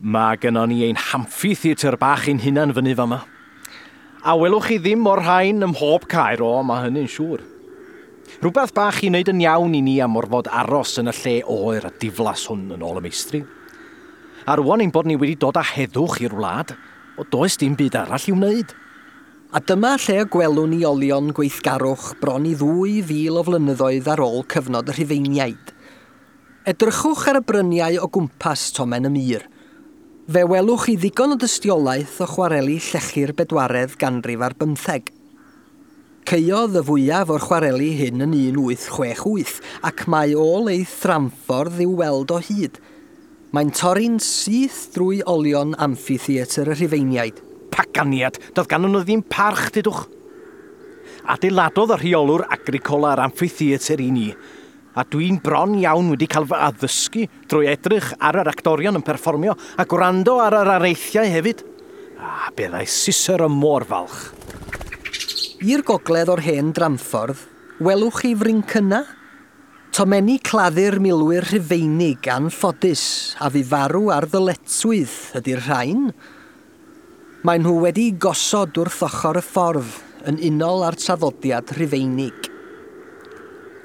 Mae gynnon ni ein amphitheatr bach ein hunan fyny fama. A welwch chi ddim o'r rhain ym mhob caer, o, mae hynny'n siŵr. Rhywbeth bach i wneud yn iawn i ni am orfod aros yn y lle oer a diflas hwn yn ôl y meistri. A rwan ein bod ni wedi dod â heddwch i'r wlad, o does dim byd arall i'w wneud. A dyma lle y gwelwn ni olion gweithgarwch bron i 2,000 o flynyddoedd ar ôl cyfnod y Rhufeiniaid. Edrychwch ar y bryniau o gwmpas Tomen y Mur. Fe welwch chi ddigon o dystiolaeth o chwareli llechi'r bedwaredd ganrif ar bymtheg. Caeodd y fwyaf o'r chwareli hyn yn 1868 ac mae ôl ei thramffordd i'w weld o hyd. Mae'n torri'n syth drwy olion amphitheatr y Rhufeiniaid. Paganiad, doedd ganddyn nhw ddim parch, dudwch. Adeiladodd y rheolwr Agricola yr amphitheatr i ni, a dwi'n bron iawn wedi cael fy addysgu drwy edrych ar yr actorion yn perfformio a gwrando ar yr areithiau hefyd. A byddai Cicero mor falch. I'r gogledd o'r hen dramffordd, welwch chi frincyna? Tomenni claddu'r milwyr Rhufeinig anffodus a fu farw ar ddyletswydd ydy'r rhain. Maen nhw wedi gosod wrth ochr y ffordd yn unol â'r traddodiad Rhufeinig.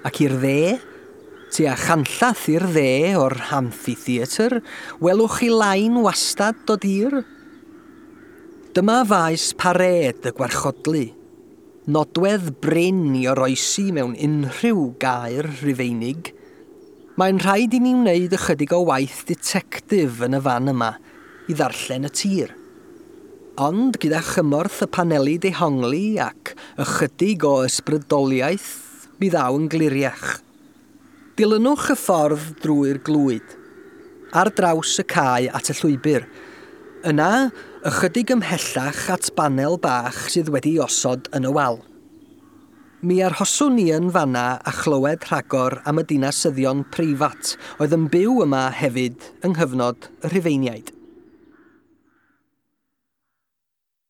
Ac i'r dde, tua chanllath i'r dde o'r amphitheatr, welwch chi lain wastad o dir? Dyma faes parêd y gwarchodlu. Nodwedd brin i oroesi mewn unrhyw gaer Rhufeinig. Mae'n rhaid i ni wneud ychydig o waith ditectif yn y fan yma i ddarllen y tir. Ond gyda chymorth y paneli dehongli ac ychydig o ysbrydoliaeth, mi ddaw yn gliriach. Dilynwch y ffordd drwy'r glwyd, ar draws y cae at y llwybr. Yna, ychydig ymhellach at banel bach sydd wedi osod yn y wal. Mi arhoswn ni yn fanna a chlywed rhagor am y dinasyddion preifat oedd yn byw yma hefyd yng nghyfnod y Rhufeiniaid.